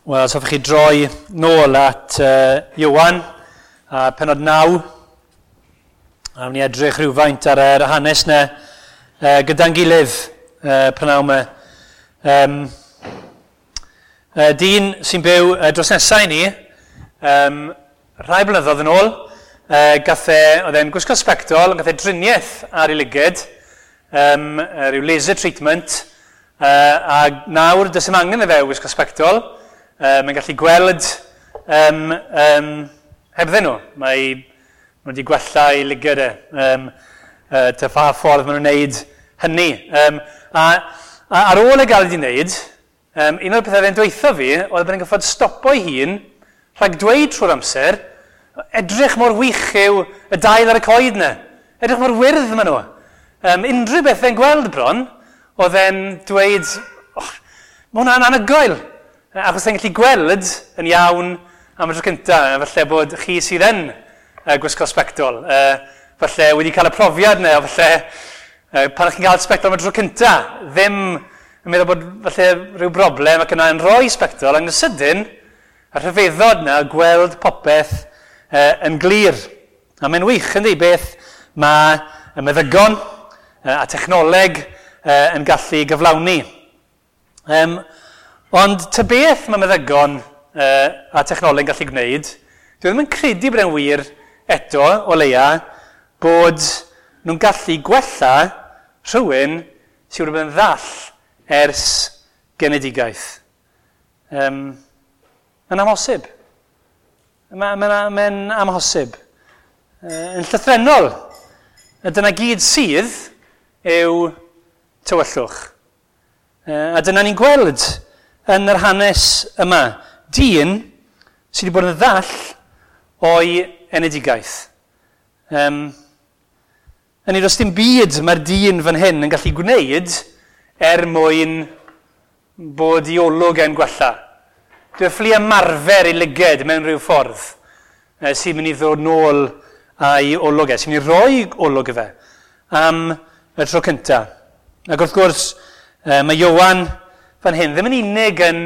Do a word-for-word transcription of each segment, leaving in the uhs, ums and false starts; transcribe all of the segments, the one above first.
Wel, os hoffech chi droi nôl at uh, Ioan, a pennod naw, a wnawn ni edrych rhywfaint ar yr hanes yna uh, gyda'n gilydd uh, prynhawn yma. Um, uh, dyn sy'n byw uh, dros nesau i ni, um, rhai blynyddoedd yn ôl, uh, gath e, oedd e'n gwisgo sbectol, gath e driniaeth ar ei lyged, um, rhyw laser treatment, uh, a nawr does dim angen i fe wisgo sbectol. Uh, mae'n gallu gweld um, um, hebddyn nhw. Mae nhw wedi gwella ei lygad e. Um, uh, ta pha ffordd maen nhw'n wneud hynny. Um, a, a ar ôl e gael wedi wneud, um, un o'r pethau fe'n dweutho fi oedd bod e'n gorfod stopo ei hun rhag dweud trwy'r amser, edrych mor wych yw y dail ar y coed yna. Edrych mor wyrdd maen nhw. Um, unrhyw beth fe'n gweld bron, oedd e'n dweud, oh, mae hwnna'n anhygoel. Achos e'n gallu gweld yn iawn am y tro cyntaf, falle bod chi sydd yn uh, gwisgo sbectol, uh, falle wedi cael y profiad yna, falle uh, pan ych chi'n cael sbectol am y tro cyntaf, ddim yn meddwl bod falle rhyw broblem ac yna yn rhoi sbectol, ac yn sydyn, y rhyfeddod yna, gweld popeth uh, yn glir. A mae'n wych, yndi, beth mae y meddygon uh, a technoleg uh, yn gallu gyflawni. Um, Ond ta beth mae meddygon uh, a technoleg yn gallu gwneud, dwi ddim yn credu bod e'n wir eto, o leia, bod nhw'n gallu gwella rhywun sydd wedi bod yn ddall ers genedigaeth. Um, mae'n amhosib. Mae'n ma, ma amhosib. Uh, yn llythrennol, dyna gyd sydd yw tywyllwch. Uh, a dyna ni'n gweld yn yr hanes yma, dyn sydd wedi bod yn ddall o'i enedigaeth. Um, yn does dim byd mae'r dyn fan hyn yn gallu gwneud er mwyn bod i olwg e'n gwella. Dwi'n ffili ymarfer ei lyged mewn rhyw ffordd eh, sy'n mynd i ddod nôl a'i olwg e, sy'n mynd i roi olwg i fe am y tro cyntaf. Ac wrth gwrs, eh, mae Ioan fan hyn ddim yn unig yn,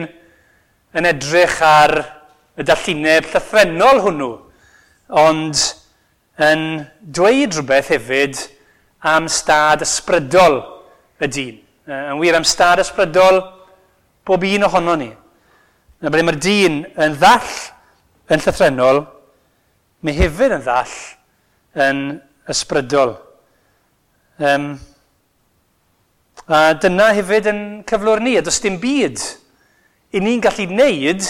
yn edrych ar y dallineb llythrennol hwnnw, ond yn dweud rhywbeth hefyd am stad ysbrydol y dyn. Yn wir, am stad ysbrydol bob un ohono ni. Na ble mae'r dyn yn ddall yn llythrennol, mae hefyd yn ddall yn ysbrydol. Um, A dyna hefyd yn cyflwr ni, a does dim byd i ni'n gallu wneud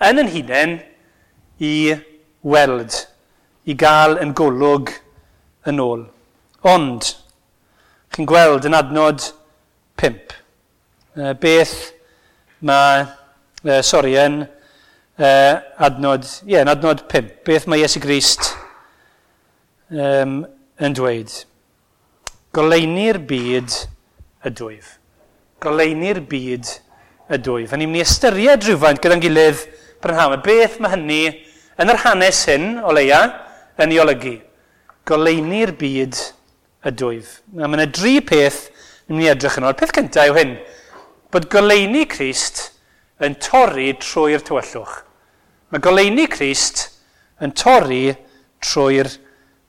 yn yn hunain i weld, i gael yn golwg yn ôl. Ond, chi'n gweld yn adnod pump, beth mae, sori, yn adnod, ie, yn adnod pump, beth mae Iesu Grist um, yn dweud? Goleuni'r byd ydwyf. Goleuni'r byd ydwyf. A ni'n mynd i ystyried rhywfaint gyda'n gilydd prynhawn. Beth mae hynny yn yr hanes hyn, o leia, yn ei olygu? Goleuni'r byd ydwyf. A mae yna dri peth ni'n mynd i edrych yn ôl. Peth cyntaf yw hyn, bod goleuni Crist yn torri trwy'r tywyllwch. Mae goleuni Crist yn torri trwy'r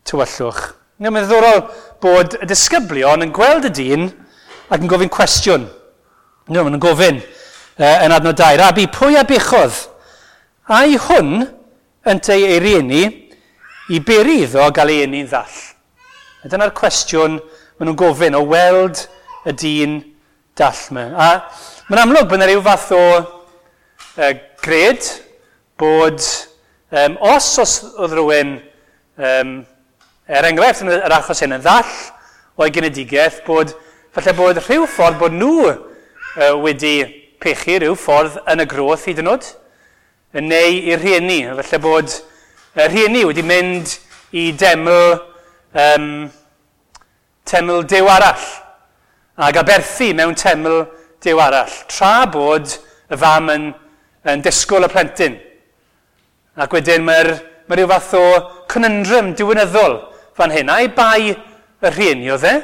tywyllwch. Mae'n ddiddorol bod y disgyblion yn gweld y dyn ac yn gofyn cwestiwn. No, maen nhw'n gofyn uh, yn adnod dau. Rabi, pwy a bechodd? Ai hwn ynteu ei rieni i beri iddo gael ei eni'n ddall? A dyna'r cwestiwn maen nhw'n gofyn o weld y dyn dall yma. A mae'n amlwg bod yna rhyw fath o uh, gred bod um, os os oedd rhywun, um, er enghraifft yn yr achos hyn, yn ddall o'i genedigaeth, bod falle bod rhyw ffordd bod nhw uh, wedi pechu rhyw ffordd yn y groth hyd yn oed, neu i'r rhieni. Falle bod y rhieni wedi mynd i deml, um, teml Duw arall, ac aberthu mewn teml Duw arall, tra bod y fam yn, yn disgwyl y plentyn. Ac wedyn mae'r mae rhyw fath o conundrum diwinyddol fan hyn. Ai bai y rhieni oedd e,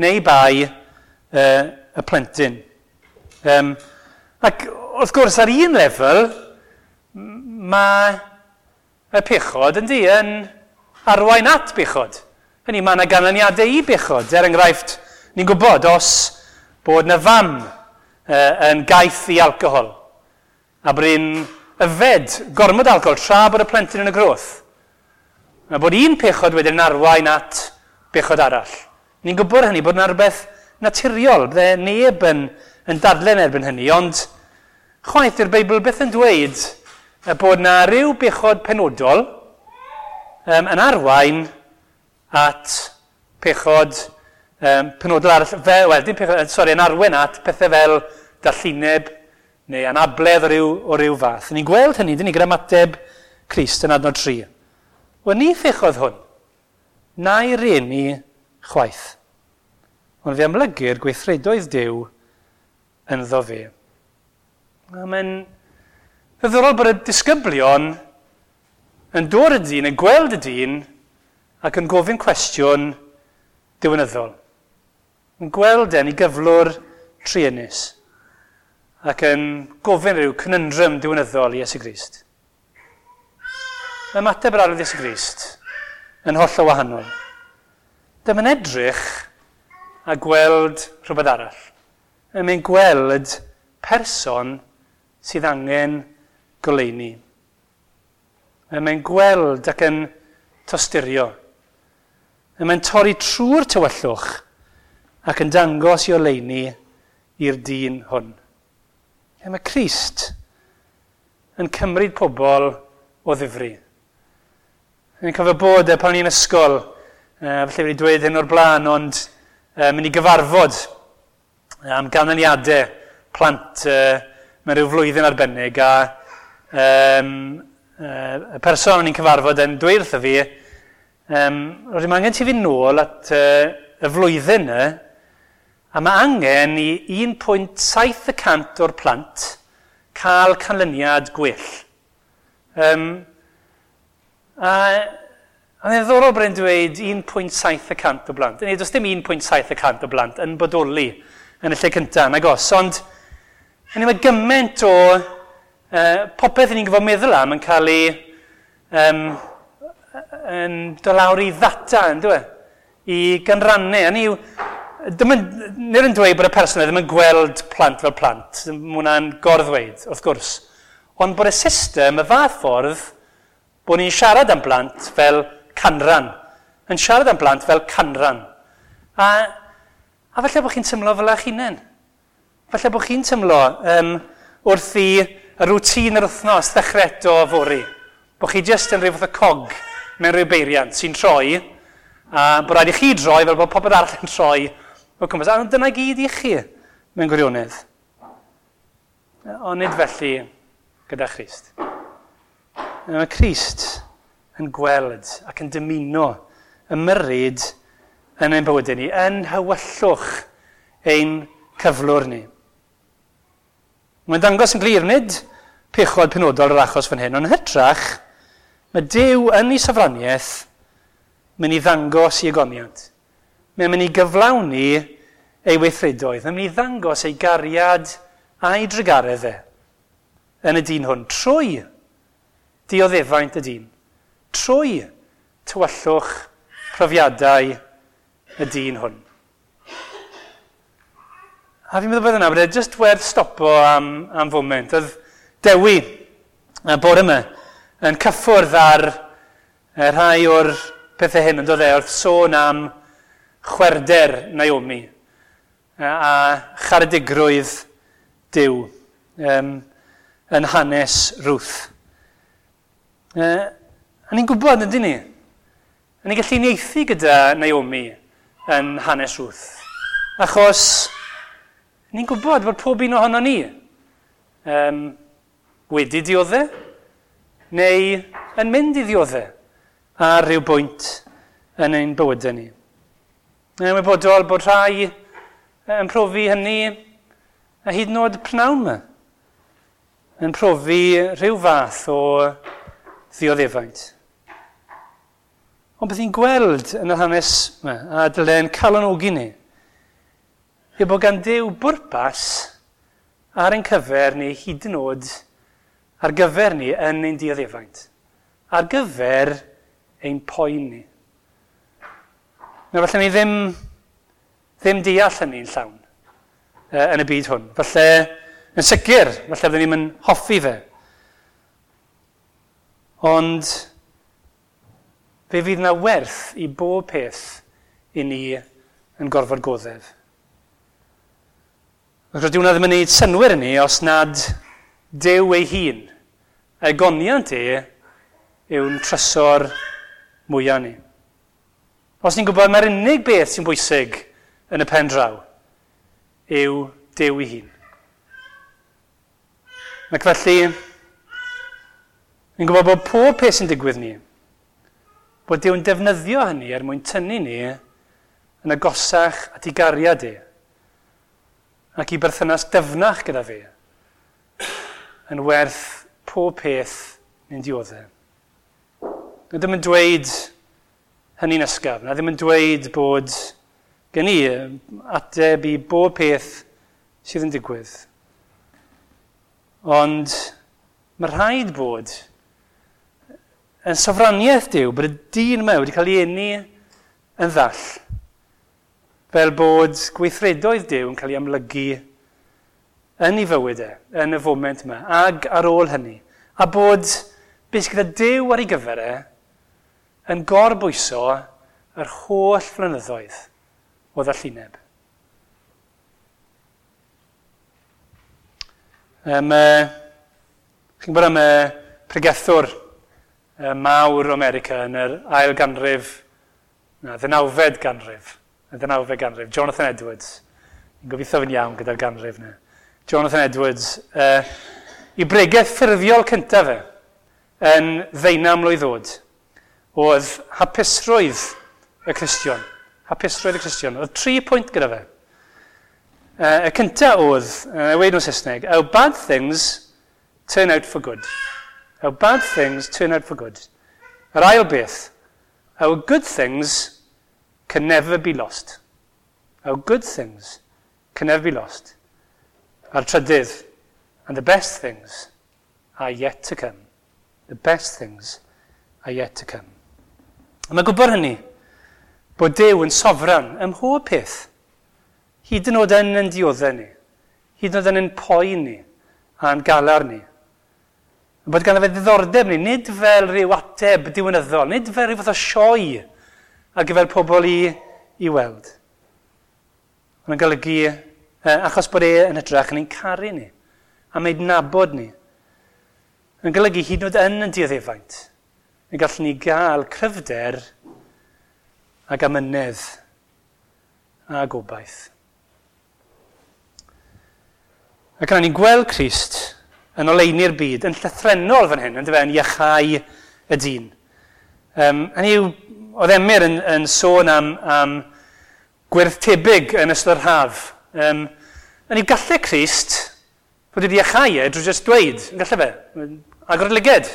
neu bai uh, y plentyn. Um, ac wrth gwrs ar un lefel, Mae y pechod yn di yn arwain at bechod. Hynny, mae yna ganlyniadau i bechod. Er enghraifft, ni'n gwybod os bod yna fam uh, yn gaeth i alcohol a bod hi'n yfed gormod alcohol tra bod y plentyn yn y groth. Mae bod un pechod wedyn yn arwain at bechod arall. Ni'n gwybod hynny, bod yna rhywbeth naturiol, bydde neb yn, yn dadlen erbyn hynny, ond chwaith i'r Beibl beth yn dweud bod yna rhyw bechod penodol um, yn arwain at pechod um, penodol arall, fe, wel, dim pechod, sori, yn arwain at pethau fel dallineb neu anabledd o ryw, o ryw fath. Ni'n gweld hynny, dyn ni, gyda ymateb Crist yn adnod tri. Wel, ni phechodd hwn, na'i rieni chwaith. Ond fe amlygir gweithredoedd Duw ynddo fe. A mae'n ddiddorol bod y disgyblion yn dod y dyn, yn gweld y dyn, ac yn gofyn cwestiwn diwinyddol. Yn gweld e'n ei gyflwr truenus, ac yn gofyn rhyw conundrum diwinyddol i Iesu Grist. Ymateb yr Arglwydd Iesu Grist yn hollol wahanol. Dyma'n edrych a gweld rhywbeth arall. Mae'n gweld person sydd angen goleuni. Mae'n gweld ac yn tosturio. Mae'n torri trwy'r tywyllwch ac yn dangos i oleuni i'r dyn hwn. Mae Crist yn cymryd pobl o ddifri. Yn cofio bod e pan o'n i'n ysgol, falle wedi dweud hyn o'r blaen, ond mynd i gyfarfod am ganlyniadau plant mewn rhyw flwyddyn arbennig, a um, y person o'n i'n cyfarfod yn dweud wrtho fi, um, roedd mae angen ti fynd nôl at uh, y flwyddyn yna, a mae angen i un pwynt saith y cant o'r plant cael canlyniad gwell. Um, a a ddiddorol bod e'n dweud un pwynt saith y cant o blant. Neu, does dim un pwynt saith y cant o blant yn bodoli yn y lle cyntaf, nag os. Ond hynny, mae gymaint o uh, popeth ni'n gyfo meddwl am yn cael ei um, yn dod lawr i ddata, yn dwi? I gynrannau. Hynny yw, ddim yn, nid yn dweud bod y person ddim yn gweld plant fel plant. Mae hwnna'n gorddweud, wrth gwrs. Ond bod y system, y fath ffordd, bod ni'n siarad am blant fel canran. Yn siarad am blant fel canran. A, a falle bod chi'n tymlo fel eich hunain. Falle bod chi'n tymlo um, wrth i y rwtîn yr wythnos ddechrau eto fory. Bod chi jyst yn rhyw fath o cog mewn rhyw beiriant sy'n troi, a bod rhaid i chi droi fel bod popeth arall yn troi o cwmpas. A dyna gyd i chi mewn gwirionedd. Ond nid felly gyda Christ. Mae Crist yn gweld ac yn dymuno ymyrryd yn ein bywydau ni, yn hywyllwch ein cyflwr ni. Mae'n dangos yn glir nid pechod penodol yr achos fan hyn, ond yn hytrach, mae Duw yn ei sofraniaeth mynd i ddangos ei ogoniant. Mae'n mynd i gyflawni ei weithredoedd. Mae'n mynd i ddangos ei gariad a'i drugaredd e yn y dyn hwn, trwy dioddefaint y dyn, trwy tywyllwch profiadau y dyn hwn. A fi'n meddwl bod yna, bod e jyst werth stopo am, am foment. Oedd Dewi, y bore yma, yn cyffwrdd ar rhai o'r pethau hyn, yn dod e wrth sôn am chwerder Naomi a charedigrwydd Duw um, yn hanes Ruth. Uh, a ni'n gwybod, ydyn ni? A ni'n gallu uniaethu gyda Naomi yn hanes Ruth. Achos ni'n gwybod bod pob un ohono ni um, wedi dioddef neu yn mynd i ddioddef ar ryw bwynt yn ein bywydau ni. Yn ymwybodol bod rhai yn profi hynny a hyd yn oed pnawn yma, yn profi rhyw fath o ddioddefaint. Ond beth ni'n gweld yn yr hanes yma, a dyle'n calonogi ni, yw bod gan Duw bwrpas ar ein cyfer neu hyd yn oed ar gyfer ni yn ein dioddefaint, ar gyfer ein poen ni. Nawr, falle ni ddim, ddim deall hynny'n llawn uh, yn y byd hwn. Falle, yn sicr, falle byddwn ni'n hoffi fe. Ond fe fydd yna werth i bob peth i ni yn gorfod goddef. Wrth gwrs, dyw hwnna ddim yn gwneud synnwyr i ni os nad Duw ei hun. Ei goniant e yw'n trysor mwyaf ni. Os ni'n gwybod mae'r unig beth sy'n bwysig yn y pen draw yw Duw ei hun. Ac felly, ni'n gwybod bod pob peth sy'n digwydd ni, bod Duw'n defnyddio hynny er mwyn tynnu ni yn agosach at ei gariad e, ac i berthynas dyfnach gyda fe, yn werth pob peth ni'n dioddef. Na ddim yn dweud hynny'n ysgafn, na ddim yn dweud bod gen i ateb i bob peth sydd yn digwydd. Ond mae rhaid bod yn sofraniaeth Duw bod y dyn yma wedi cael ei eni yn ddall, fel bod gweithredoedd Duw yn cael ei amlygu yn ei fywyd e, yn y foment yma, ag ar ôl hynny. A bod beth sydd gyda Duw ar ei gyfer e yn gorbwyso yr holl flynyddoedd o ddallineb. Um, uh, chi'n gwybod am y pregethwr uh, mawr o America yn yr ail ganrif, na, ddeunawfed ganrif, y ddeunawfed ganrif, Jonathan Edwards. Ni'n gobeithio fi'n iawn gyda'r ganrif yna. Jonathan Edwards, uh, i bregeth ffurfiol cyntaf fe, yn ddeunaw mlwydd oed, oedd hapusrwydd y Cristion. Hapusrwydd y Cristion. Oedd tri pwynt gyda fe. Uh, y cyntaf oedd, uh, weud nhw'n Saesneg, our bad things turn out for good. Our bad things turn out for good. Yr ail beth, our good things can never be lost. Our good things can never be lost. A'r trydydd, and the best things are yet to come. The best things are yet to come. A mae gwybod hynny, bod Duw yn sofran ym mhob peth. Hyd yn oed yn yn dioddef ni, hyd yn oed yn yn poen ni, a'n galar ni. Bod ganddo fe ddiddordeb ni, nid fel rhyw ateb diwynyddol, nid fel rhyw fath o sioe ar gyfer pobl i, i weld. Ond yn golygu, eh, achos bod e yn hytrach yn ein caru ni, a mae'n nabod ni. Yn golygu hyd yn oed yn yn dioddefaint, yn gallwn ni gael cryfder ac amynedd a gobaith. Ac yna ni'n gweld Crist yn oleuni'r byd, yn llythrennol fan hyn, yn dyfe, yn iachau y dyn. Um, hynny yw, oedd Emyr yn, yn sôn am, am gwyrdd tebyg yn ystod yr haf. Um, hynny yw, gallai Crist fod wedi iachau e drwy jyst dweud, yn gallai fe, agor y lyged,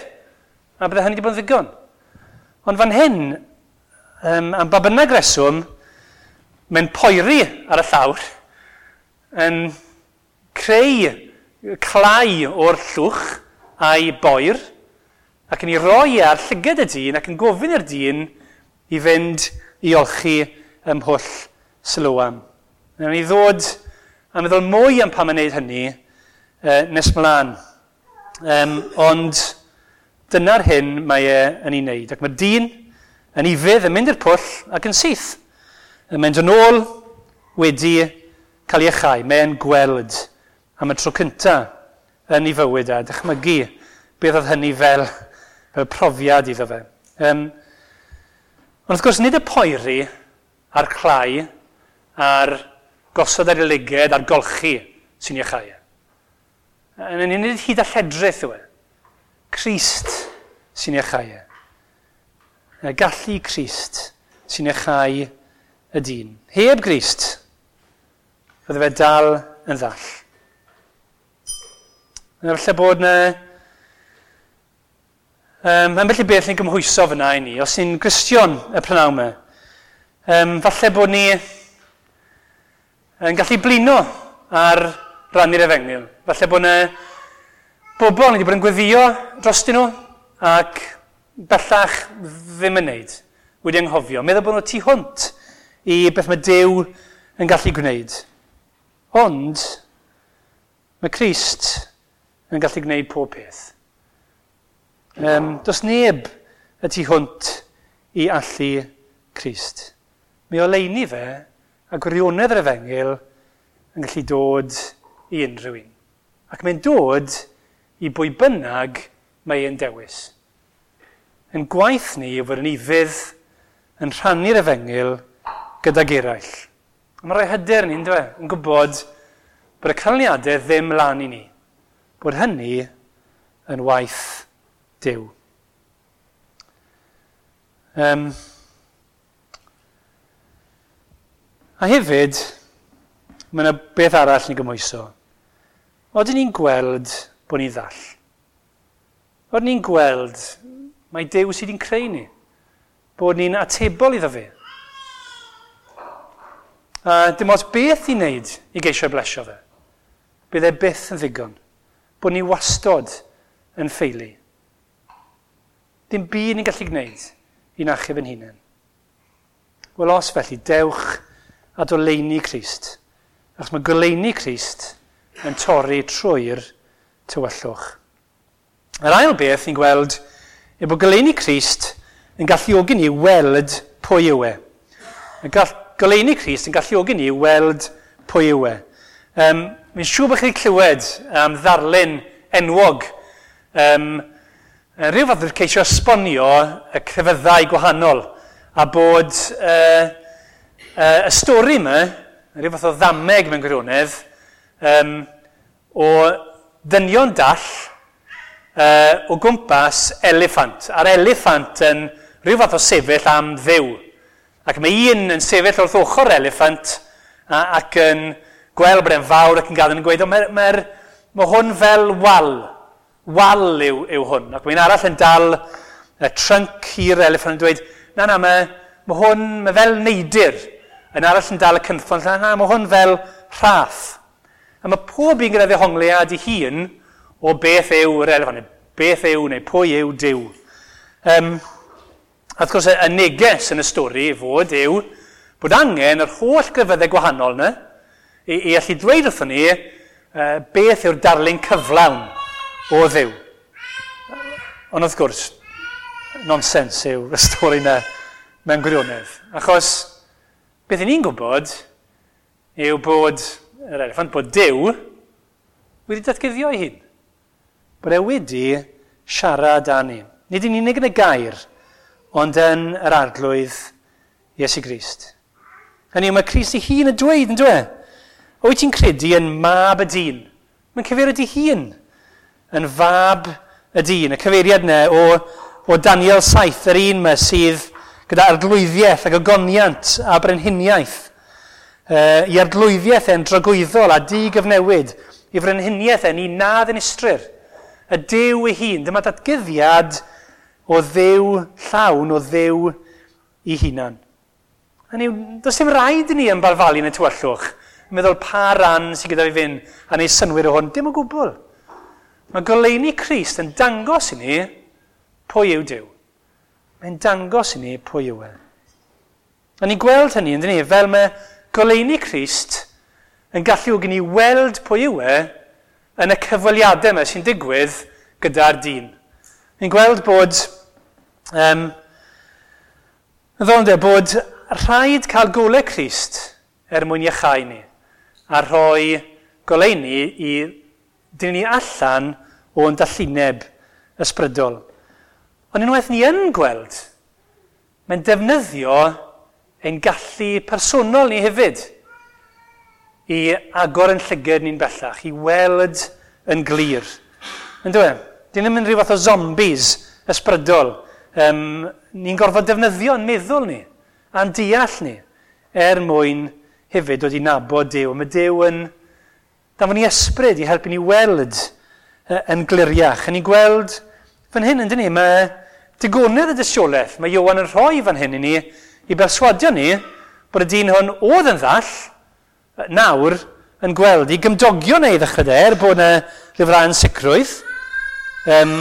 a bydde hynny wedi bod yn ddigon. Ond fan hyn, um, am ba bynnag reswm, mae'n poeri ar y llawr, yn creu clai o'r llwch a'i boer, ac yn ei roi ar llygad y dyn ac yn gofyn i'r dyn i fynd i olchi ym mhwll Siloam. Nawn ni ddod a meddwl mwy am pam yn wneud hynny eh, nes mlaen. Um, ond dyna'r hyn mae e yn ei wneud. Ac mae'r dyn yn ufudd yn mynd i'r pwll ac yn syth. Yn mynd yn ôl wedi cael ei iachau. Mae'n gweld am y tro cyntaf yn ei fywyd a dychmygu beth oedd hynny fel, fel profiad iddo fe. Um, ond wrth gwrs, nid y poeri a'r clai a'r gosod ar ei lyged a'r golchi sy'n iachau. Yn nid hyd a lledrith yw e. Crist sy'n iachau e. Gallu Crist sy'n iachau y dyn. Heb Grist, fydde fe dal yn ddall. Yna falle bod yna um, ambell i beth ni'n gymhwyso fyna i ni, os ni'n Gristion y prynhawn yma, um, falle bod ni yn gallu blino ar rannu'r efengyl. Falle bod yna Bobl ni wedi bod yn gweddio drostyn nhw ac bellach ddim yn neud, wedi anghofio. Meddwl bod nhw tu hwnt i beth mae Duw yn gallu gwneud. Ond mae Crist yn gallu gwneud pob peth. Um, does neb y tu hwnt i allu Crist. Mae oleuni fe a gwirionedd yr efengyl yn gallu dod i unrhyw un. Ac mae'n dod i bwy bynnag mae e'n dewis. Yn gwaith ni yw fod yn ufudd yn rhannu'r efengyl gydag eraill. A mae'n rhoi hyder ni, yndyfe, yn gwybod bod y canlyniadau ddim lan i ni. Bod hynny yn waith Duw. Um, a hefyd, mae yna beth arall ni'n gymhwyso. Oedden ni'n gweld bod ni'n ddall. Oedden ni'n gweld mai Duw sydd wedi'n creu ni. Bod ni'n atebol iddo fe. A dim ots beth i wneud i geisio blesio fe. Bydd e byth yn ddigon. Bod ni wastod yn ffeili. Dim byd ni'n gallu gwneud i'n achub yn hunain. Wel, os felly, dewch at oleuni Crist. Achos mae goleuni Crist yn torri trwy'r tywyllwch. Yr ail beth ni'n gweld yw bod goleuni Crist yn galluogi ni weld pwy yw e. Y gall, goleuni Crist yn galluogi ni weld pwy yw e. Um, Mi'n siŵr bod chi wedi clywed am ddarlun enwog. Um, rhyw fath o ceisio esbonio y crefyddau gwahanol a bod uh, uh, y stori yma, rhyw fath o ddameg mewn gwirionedd, um, o ddynion dall uh, o gwmpas eliffant. A'r eliffant yn rhyw fath o sefyll am Dduw. Ac mae un yn sefyll wrth ochr eliffant a, ac yn gweld bod e'n fawr ac yn gadael yn gweud, o, mae, mae, mae hwn fel wal. Wal yw, yw hwn. Ac mae'n arall yn dal y trunk i'r eliffant yn dweud, na, na, mae, mae hwn mae fel neidr. Yn arall yn dal y cynffon, na, na, mae hwn fel rhaff. A mae pob un gyda ddehongliad ei hun o beth yw'r eliffant, neu beth yw, neu pwy yw Duw. Um, a wrth gwrs, y neges yn y stori fod yw bod angen yr holl grefyddau gwahanol yna i, i allu dweud wrthon ni uh, beth yw'r darlun cyflawn o Dduw. Ond wrth gwrs, nonsens yw'r stori yna mewn gwirionedd. Achos beth i ni'n gwybod yw bod yr eliffant, bod Duw wedi datguddio ei hun. Bod e wedi siarad â ni. Nid yn unig yn y gair, ond yn yr Arglwydd Iesu Grist. Hynny yw, mae Crist ei hun yn dweud, yn dweud? Wyt ti'n credu yn mab y dyn? Mae'n cyfeirio ei hun yn fab y dyn. Y cyfeiriad yna o, o Daniel saith, yr un yma sydd gyda arglwyddiaeth ac ogoniant a brenhiniaeth. E, I arglwyddiaeth e'n dragwyddol a digyfnewid, i frenhiniaeth e'n un na ddinistrir. Y Duw ei hun, dyma datguddiad o Dduw llawn, o Dduw ei hunan. Hynny yw, does dim rhaid i ni ymbalfalu yn y tywyllwch, meddwl pa ran sydd gyda fi fynd a neud synnwyr o hwn, dim o gwbl. Mae goleuni Crist yn dangos i ni pwy yw Duw. Mae'n dangos i ni pwy yw e. A ni'n gweld hynny, yndyn ni, fel mae goleuni Crist yn galluogi ni weld pwy yw e yn y cyfweliadau yma sy'n digwydd gyda'r dyn. Ni'n gweld bod, um, ddol bod rhaid cael golau Crist er mwyn iachau ni a rhoi goleuni i dyn ni allan o'n dallineb ysbrydol. Ond unwaith ni yn gweld, mae'n defnyddio ein gallu personol ni hefyd i agor yn llygad ni'n bellach, i weld yn glir. Yn dweud, dyn ddim yn rhyw fath o zombies ysbrydol. Um, ni'n gorfod defnyddio'n meddwl ni, a'n deall ni, er mwyn hefyd dod i nabod Duw. Mae Duw yn danfon ni ysbryd i helpu ni weld yn gliriach. A ni'n gweld fan hyn, yn dyn ni, mae digonedd y dystiolaeth. Mae Ioan yn rhoi fan hyn i ni i berswadio ni bod y dyn hwn oedd yn ddall nawr yn gweld i gymdogion ei ddechrau de, er bod yna rhyw fath o ansicrwydd. Um,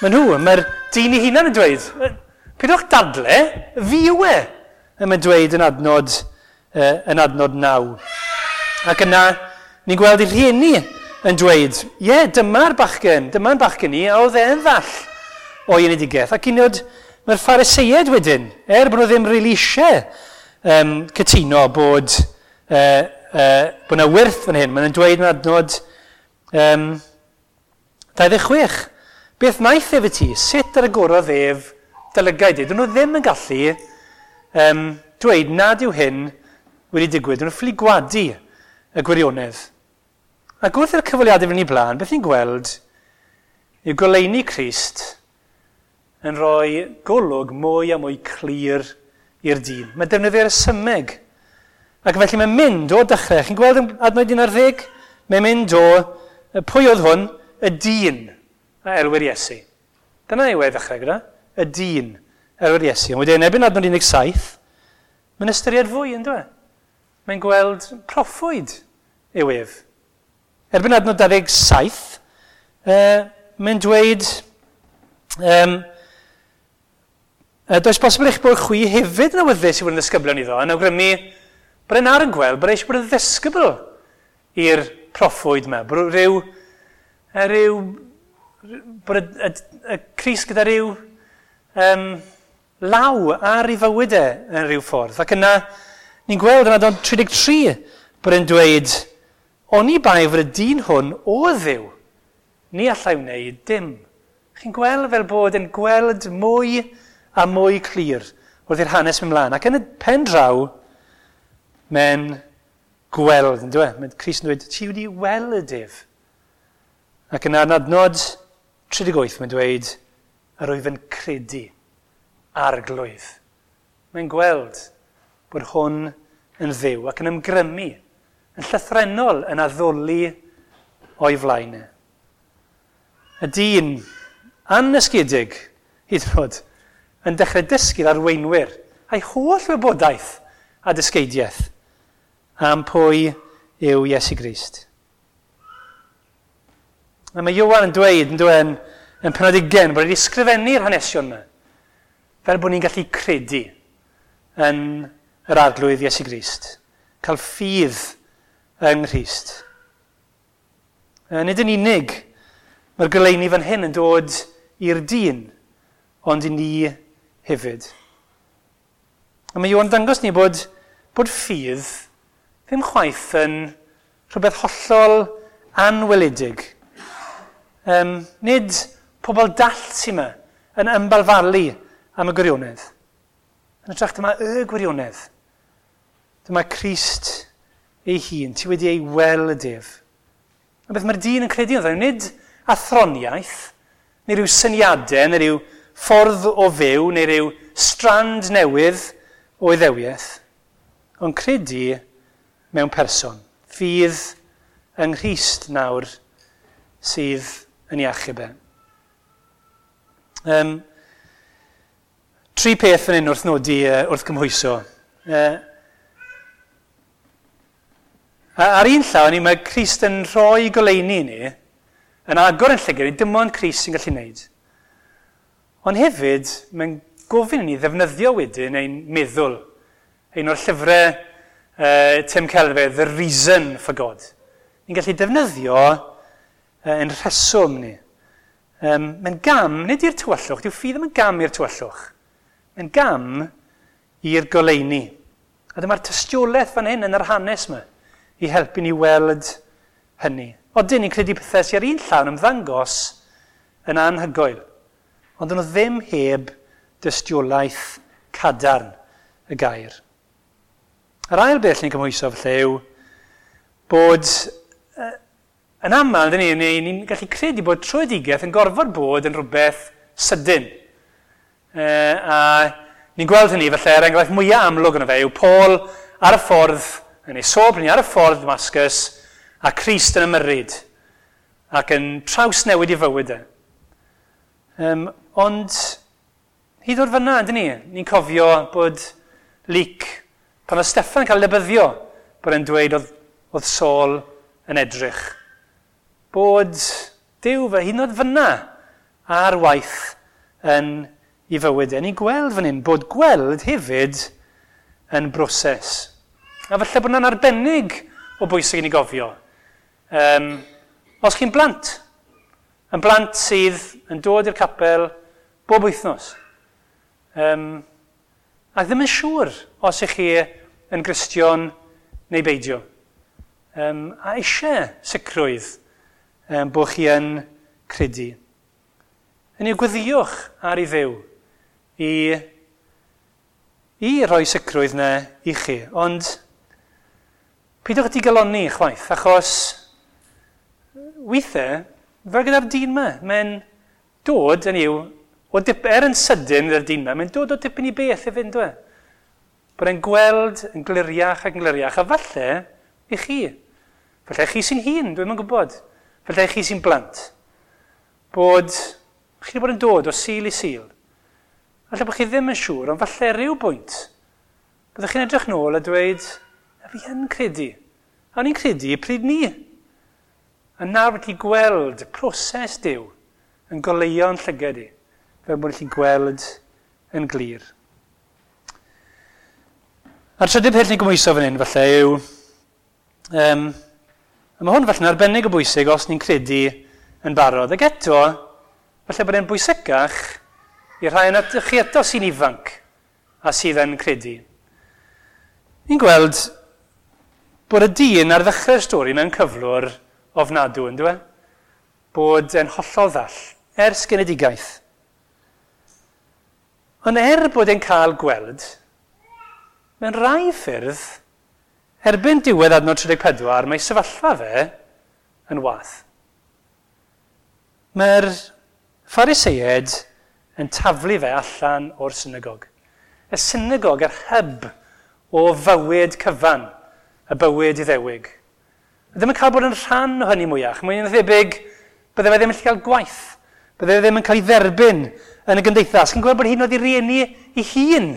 Mae nhw, mae'r dyn ei hunan yn dweud, pidwch dadle, fi yw e. A mae'n dweud yn adnod, uh, yn adnod naw. Ac yna, ni'n gweld ei rhieni yn dweud, ie, yeah, dyma'r bachgen, dyma'n bachgen ni, a oedd e'n ddall o'i enedigaeth. Ac un oed, mae'r Phariseiaid wedyn, er bod nhw ddim rili eisiau um, cytuno bod, uh, uh, bod yna wyrth fan hyn, maen nhw'n dweud yn adnod um, dau ddeg chwech. Beth wnaeth ef i ti? Sut yr agorodd ef dy lygaid di? Dyn nhw ddim yn gallu um, dweud nad yw hyn wedi digwydd. Dyn nhw'n ffili gwadu y gwirionedd. Ac wrth i'r cyfweliadau fynd i blaen, beth ni'n gweld yw goleuni Crist yn rhoi golwg mwy a mwy clir i'r dyn. Mae defnyddio'r resymeg. Ac felly mae'n mynd o dechrau. Chi'n gweld yn adnod un ar ddeg? Mae'n mynd o, pwy oedd hwn? Y dyn a elwir Iesu. Dyna yw e ddechrau gyda. Y dyn elwir Iesu. Ond wedyn, erbyn adnod un deg saith, mae'n ystyried fwy, yn dweud. Mae'n gweld proffwyd yw ef. Erbyn adnod dau ddeg saith, uh, mae'n dweud, um, does bosibl eich bod chwi hefyd yn awyddus i fod yn ddisgyblion iddo, yn awgrymu bod e'n ar yn gweld bod e eisiau bod yn ddisgybl i'r proffwyd yma, bod rhyw, rhyw bod y, y, y Crist gyda rhyw um, law ar ei fywyd e yn rhyw ffordd. Ac yna, ni'n gweld yn adnod tri deg tri bod e'n dweud, oni bai fod y dyn hwn o Dduw, ni allai wneud dim. Chi'n gweld fel bod yn gweld mwy a mwy clir wrth i'r hanes mynd mlaen. Ac yn y pen draw, mae'n gweld, yn dweud. Mae Crist yn dweud, ti wedi weld ef. Ac yna yn adnod tri deg wyth, mae'n dweud, yr wyf yn credu arglwydd. Mae'n gweld bod hwn yn Dduw ac yn ymgrymu, yn llythrennol yn addoli o'i flaen e. Y dyn annysgedig, hyd yn oed, yn dechrau dysgu'r arweinwyr a'i holl wybodaeth a dysgeidiaeth am pwy yw Iesu Grist. A mae Ioan yn dweud, yn dweud, yn penod ugain, bod wedi ysgrifennu'r hanesion yma, fel bod ni'n gallu credu yn yr arglwydd Iesu Grist, cael ffydd yng Nghrist. Nid yn unig, mae'r goleuni fan hyn yn dod i'r dyn, ond i ni hefyd. A mae Ioan dangos ni bod, bod ffydd ddim chwaith yn rhywbeth hollol anweledig. Um, nid pobl dall sy'n yma yn ymbalfalu am y gwirionedd. Yn hytrach dyma y gwirionedd. Dyma Crist ei hun, ti wedi ei weld ef. A beth mae'r dyn yn credu ynddo, nid athroniaeth, neu rhyw syniadau, neu rhyw ffordd o fyw, neu rhyw strand newydd o iddewiaeth, ond credu mewn person. Ffydd yng Nghrist nawr sydd yn ei achub e. Um, tri peth fan hyn wrth nodi, uh, wrth gymhwyso. Uh, ar un llaw, ni, mae Crist yn rhoi goleuni i ni, yn agor yn llygad, dim ond Crist sy'n gallu wneud. Ond hefyd, mae'n gofyn i ni ddefnyddio wedyn ein meddwl. Un o'r llyfrau uh, Tim Keller, The Reason for God. Ni'n gallu defnyddio uh, ein rheswm ni. Um, mae'n gam, nid i'r tywyllwch, dyw ffydd ddim yn gam i'r tywyllwch. Mae'n gam i'r goleuni. A dyma'r tystiolaeth fan hyn yn yr hanes yma i helpu ni weld hynny. Odyn ni'n credu pethau sy'n ar un llaw yn ymddangos yn anhygoel, ond nhw ddim heb dystiolaeth cadarn y gair. Yr ail beth ni'n cymhwyso felly yw bod uh, yn aml, dyn ni, ni'n ni gallu credu bod tröedigaeth yn gorfod bod yn rhywbeth sydyn. Uh, a ni'n gweld hynny felly, er enghraifft mwyaf amlwg yna fe yw Paul ar y ffordd, yn ei sobr ni ar y ffordd Damascus, a Crist yn ymyrryd ac yn trawsnewid i fywyd e. Um, ond hyd o'r fyna, dyn ni, ni'n cofio bod Luc, pan oedd Steffan yn cael lebyddio, bod e'n dweud oedd, oedd Saul yn edrych. Bod Duw fe hyd yn oed fyna ar waith yn ei fywyd e. Ni'n gweld fan hyn bod gweld hefyd yn broses. A falle bod hwnna'n arbennig o bwysig i ni gofio. Um, os chi'n blant, yn blant sydd yn dod i'r capel bob wythnos, um, a ddim yn siŵr os ych chi yn Gristion neu beidio. Um, a eisiau sicrwydd um, bod chi yn credu. Yn i'w gweddiwch ar ei Dduw i, i roi sicrwydd na i chi. Ond peidiwch digalonni chwaith, achos weithiau, fel gyda'r dyn yma, mae'n dod yn i'w, o dip, er yn sydyn gyda'r dyn yma, mae'n dod o dipyn i beth i fynd, dwi. Bod e'n gweld yn gliriach ac yn gliriach, a falle i chi. Falle chi sy'n hun, dwi'm yn gwybod. Falle chi sy'n blant. Bod chi wedi bod yn dod o Sul i Sul. Falle bod chi ddim yn siŵr, ond falle rhyw bwynt. Byddwch chi'n edrych nôl a dweud, a fi yn credu. A o'n i'n credu pryd ni. A nawr wedi gweld proses Duw yn goleuo'n llygad i, fel bod chi'n gweld yn glir. A'r trydydd peth ni'n gymhwyso fan hyn, falle, yw, um, a mae hwn falle'n arbennig o bwysig os ni'n credu yn barod. Ac eto, falle bod e'n bwysicach i'r rhai yna chi eto sy'n ifanc a sydd yn credu. Ni'n gweld bod y dyn ar ddechrau'r stori mewn cyflwr ofnadw, yn dwi? Bod e'n hollol ddall, ers genedigaeth. Ond er bod e'n cael gweld, mewn rai ffyrdd, erbyn diwedd adnod tri deg pedwar, mae sefyllfa fe yn wath. Mae'r Phariseaid yn taflu fe allan o'r synagog. Y synagog yr hyb o fywyd cyfan, y bywyd Iddewig. Ddim yn cael bod yn rhan o hynny mwyach. Mae'n thebyg bydde fe ddim yn gallu cael gwaith. Bydde fe ddim yn cael ei dderbyn yn y gymdeithas. Chi'n gweld bod hyd yn oed ei rieni ei hun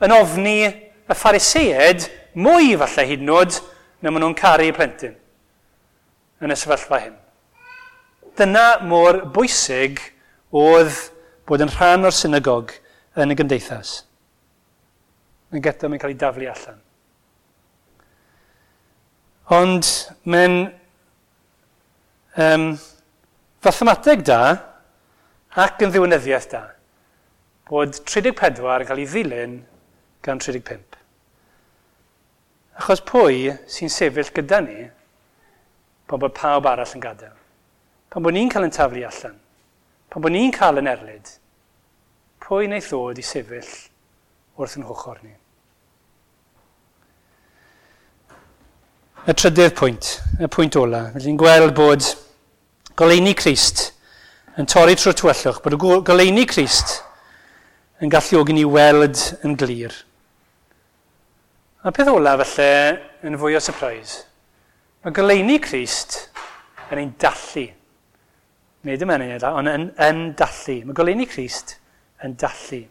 yn ofni y Phariseaid mwy falle hyd yn oed na maen nhw'n caru plentyn yn y sefyllfa hyn. Dyna mor bwysig oedd bod yn rhan o'r synagog yn y gymdeithas. Yn gyda mae'n cael ei daflu allan. Ond mae'n um, fathemateg da ac yn ddiwinyddiaeth da bod tri deg pedwar yn cael ei ddilyn gan tri deg pump. Achos pwy sy'n sefyll gyda ni pan bod pawb arall yn gadael? Pan bod ni'n cael yn taflu allan? Pan bod ni'n cael yn erlid? Pwy wneith ddod i sefyll wrth yn hochr ni? Y trydydd pwynt, y pwynt ola. Felly ni'n gweld bod goleuni Crist yn torri trwy'r tywyllwch, bod y goleuni Crist yn galluogi ni weld yn glir. A peth ola falle yn fwy o surprise. Mae goleuni Crist yn ein dallu. Neu dim yn ein dallu, ond yn, yn dallu. Mae goleuni Crist yn dallu.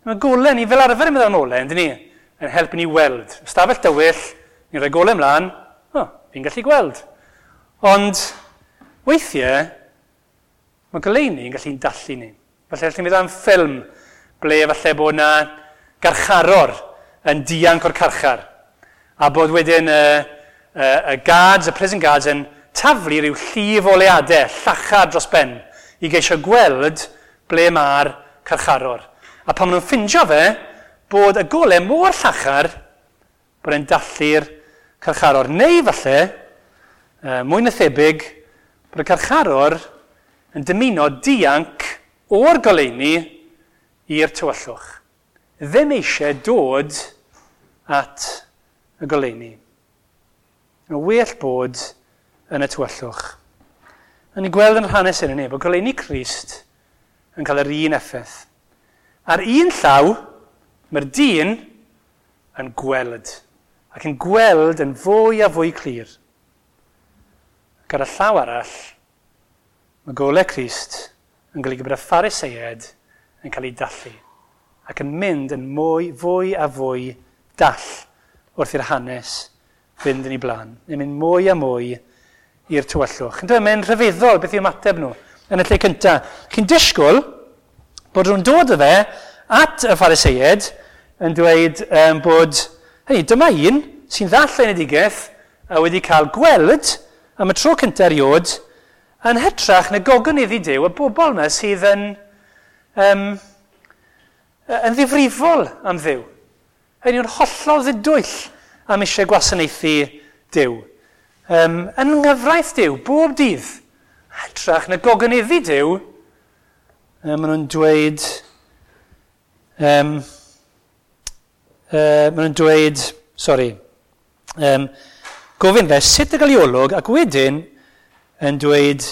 Mae golau ni fel arfer yn meddwl am olau, yndyn ni, yn helpu ni weld. Ystafell dywyll, ni'n rhoi golau ymlaen, o, oh, fi'n gallu gweld. Ond weithiau, mae goleuni yn gallu'n dallu ni. Falle allwn ni meddwl am ffilm ble falle bod yna garcharor yn dianc o'r carchar. A bod wedyn y, y, y guards, y prison guards yn taflu rhyw llif o leadau, llachar dros ben, i geisio gweld ble mae'r carcharor. A pan maen nhw'n ffindio fe, bod y golau mor llachar, bod e'n dallu'r carcharor. Neu falle, mwy na thebyg, bod y carcharor yn dymuno dianc o'r goleuni i'r tywyllwch. Ddim eisiau dod at y goleuni. Mae'n well bod yn y tywyllwch. A ni'n gweld yn hanes hyn yn e, bod goleuni Crist yn cael yr un effaith. Ar un llaw, mae'r dyn yn gweld, ac yn gweld yn fwy a fwy clir. Ac ar y llaw arall, mae golau Crist yn golygu bod y Phariseaid yn cael ei dallu, ac yn mynd yn mwy, fwy a fwy dall wrth i'r hanes fynd yn ei blaen. Yn mynd mwy a mwy i'r tywyllwch. Yn dweud, mae'n rhyfeddol beth yw ymateb nhw. yn y lle cyntaf. Chi'n disgwyl bod nhw'n dod o fe at y Phariseiaid yn dweud um, bod, hei, dyma un sy'n ddall enedigaeth a wedi cael gweld am y tro cyntaf erioed yn hytrach na gogoneddu Duw y bobl yma sydd yn, um, yn ddifrifol am Dduw. Hynny yw'n hollol ddidwyll am eisiau gwasanaethu Duw. Um, yn nghyfraith Duw, bob dydd, hytrach na gogoneddu Duw, um, maen nhw'n dweud, um, uh, maen nhw'n dweud, sori, um, gofyn fe sut y gael ei olwg, ac wedyn yn dweud,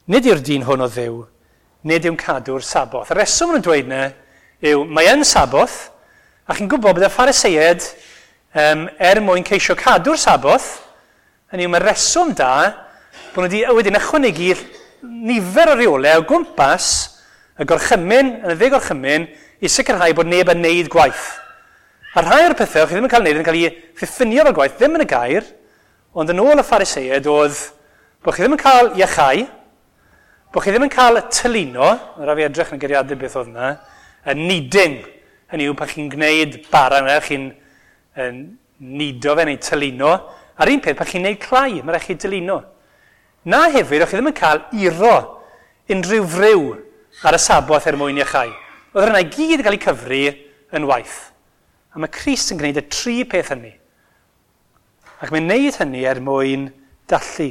nid yw'r dyn hwn o Dduw, nid yw'n cadw'r Saboth. Y reswm maen nhw'n dweud yna yw, mae yn Saboth, a chi'n gwybod bod y Phariseiaid, um, er mwyn ceisio cadw'r Saboth, hynny yw, mae reswm da bod nhw wedi wedyn ychwanegu nifer o reolau o gwmpas y gorchymyn, yn y ddeg gorchymyn, i sicrhau bod neb yn neud gwaith. A rhai o'r pethau chi ddim yn cael neud yn cael ei ddiffinio fel gwaith, ddim yn y gair, ond yn ôl y Phariseiaid oedd bod chi ddim yn cael iachau, bod chi ddim yn cael tylino, mae rhaid fi edrych yn y geiriadur beth oedd yna, y kneading, hynny yw pan chi'n gwneud bara yna, chi'n nido fe neu tylino, a'r un peth pan chi'n gwneud clai, mae rhaid chi dylino. Na hefyd, o'ch chi ddim yn cael iro unrhyw friw ar y Saboth er mwyn iachau. Oedd rhywun i gyd yn cael eu cyfri yn waith. A mae Crist yn gwneud y tri peth hynny. Ac mae'n gwneud hynny er mwyn dallu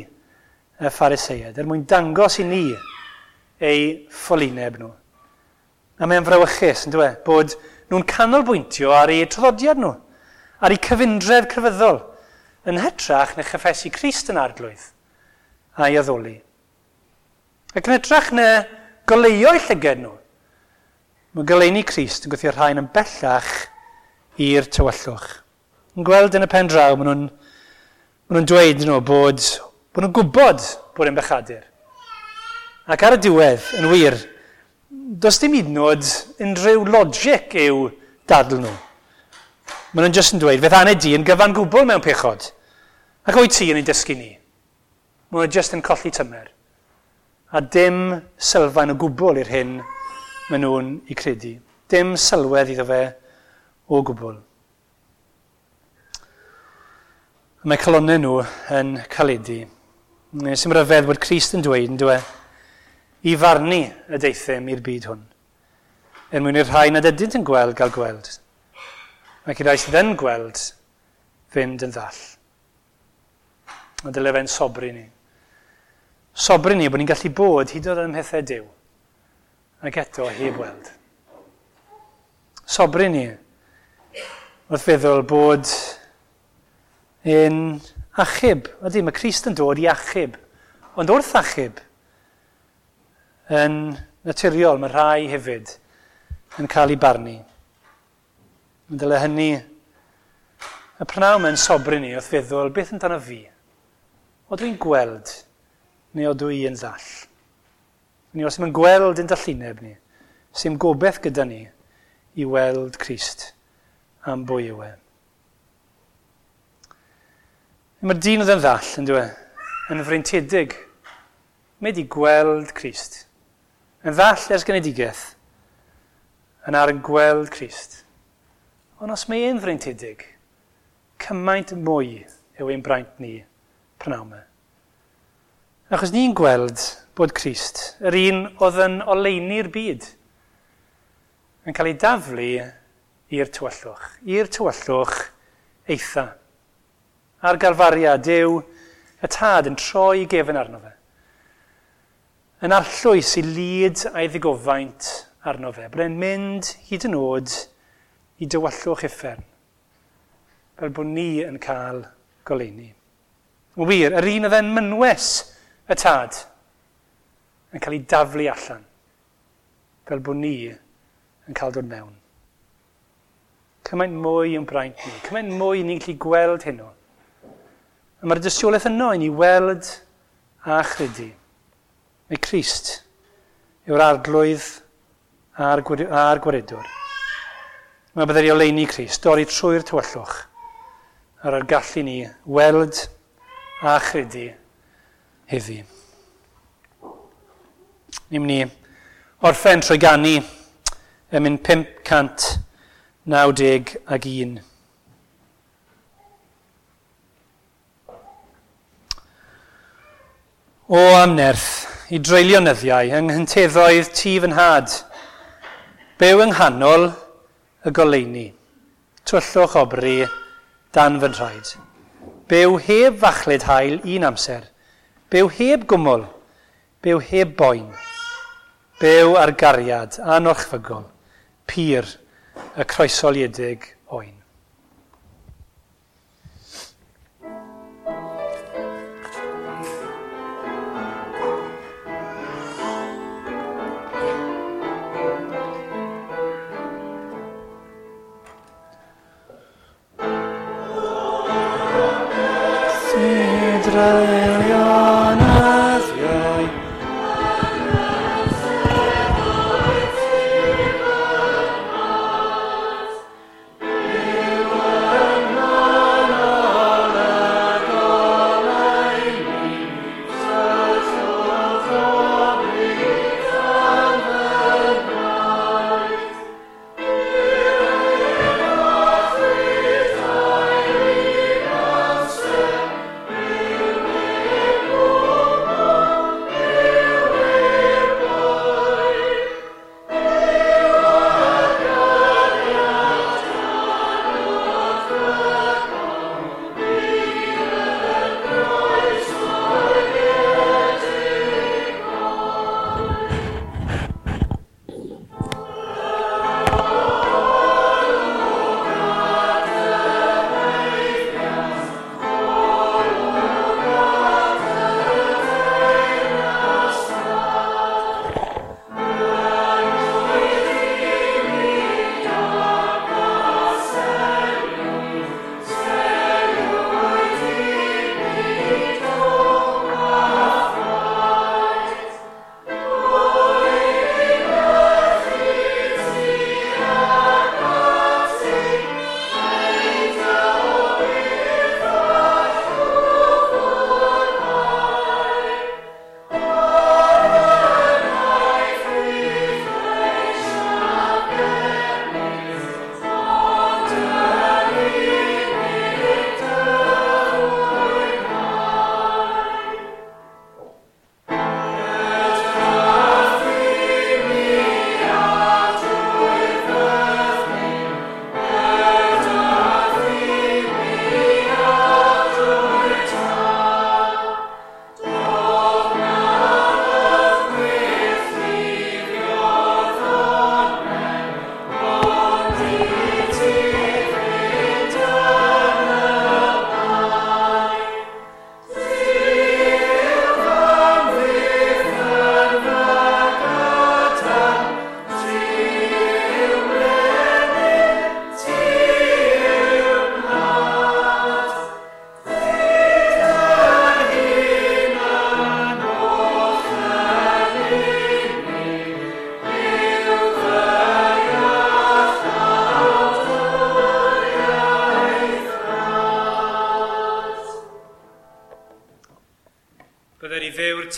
y Phariseiaid, er mwyn dangos i ni ei ffolineb nhw. A mae'n frawychus, yn dweud, bod nhw'n canolbwyntio ar eu traddodiad nhw, ar eu cyfundref crefyddol, yn hytrach na chyffesu Crist yn arglwydd a'i addoli. Ac yn hytrach na goleuo'u llygad nhw, mae goleuni Crist yn gwthio rhain yn bellach i'r tywyllwch. Yn gweld yn y pen draw, maen nhw'n maen nhw'n dweud nhw bod, bod nhw'n gwybod bod yn bechadur. Ac ar y diwedd, yn wir, does dim hyd yn oed unrhyw logic i'w dadl nhw. Maen nhw'n jyst yn dweud, fe'th aned di yn gyfan gwbl mewn pechod. Ac oed ti yn ei dysgu ni. Maen nhw'n jyst yn colli tymer. A dim sylfaen o gwbl i'r hyn maen nhw'n ei credu. Dim sylwedd iddo fe o gwbl. Mae calonnau nhw yn caledu. Sy'n rhyfedd bod Crist yn dweud, yn dweud, i farnu y deuthum i'r byd hwn, er mwyn i'r rhai nad ydynt yn gweld gael gweld, ac i'r rhai sydd yn gweld fynd yn ddall. A dyle fe'n sobri ni. Sobri ni bod ni'n gallu bod hyd yn oed ym mhethau Duw, ac eto heb weld. Sobri ni wrth feddwl bod yn achub. Ydy, mae Crist yn dod i achub. Ond wrth achub, yn naturiol, mae rhai hefyd yn cael ei barnu. Yn dyle hynny, y prynhawn mae'n sobri ni wrth feddwl, beth amdano fi? O dwi'n gweld, neu o dwi yn ddall? Ni os ddim yn gweld yn dallineb ni, sy'n gobeith gyda ni i weld Crist am bwy yw e. Mae'r dyn oedd yn ddall, yn dweud, yn freintiedig. Mae wedi gweld Crist. Yn ddall ers genedigaeth, yn ar yn gweld Crist. Ond os mae e'n freintiedig, cymaint mwy yw ein braint ni prynhawn yma. Achos ni'n gweld bod Crist, yr un oedd yn oleuni'r byd, yn cael ei daflu i'r tywyllwch, i'r tywyllwch eitha. Ar Galfaria, Duw y Tad yn troi gefn arno fe. Yn arllwys i lid a'i ddigofaint arno fe. Bod e'n mynd hyd yn oed i dywyllwch uffern, fel bod ni yn cael goleuni. Yn wir, yr un oedd yn mynwes y Tad yn cael ei daflu allan, fel bod ni yn cael dod mewn. Cymaint mwy yn braint ni, cymaint mwy ni'n gallu gweld heno. A mae'r dystiolaeth yno i ni weld a chredu. Mae Crist yw'r arglwydd a'r gwaredwr. Mae byddai oleuni Crist dorri trwy'r tywyllwch ar yr gallu ni weld a chredu heddi. Ni'n mynd i orffen trwy ganu emyn pump cant naw deg ag un. O am nerth i dreulio nyddiau yng nghynteddoedd tŷ fy nhad, byw yng nghanol y goleuni, tywyllwch obri dan fy nhraed. Byw heb fachlud haul un amser, byw heb gwmwl, byw heb boen, byw ar gariad anorchfygol, pur y croesoliedig oen.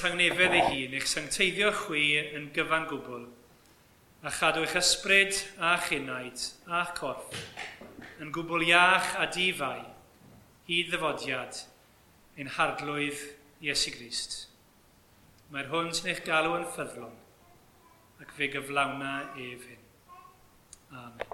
Tangnefedd ei hun eich sancteiddio chwi yn gyfan gwbl, a chadw eich ysbryd a'ch enaid a'ch corff yn gwbl iach a difai hyd ddyfodiad ein Harglwydd Iesu Grist. Mae'r hwn sy'n eich galw yn ffyddlon, ac fe gyflawna ef hyn. Amen.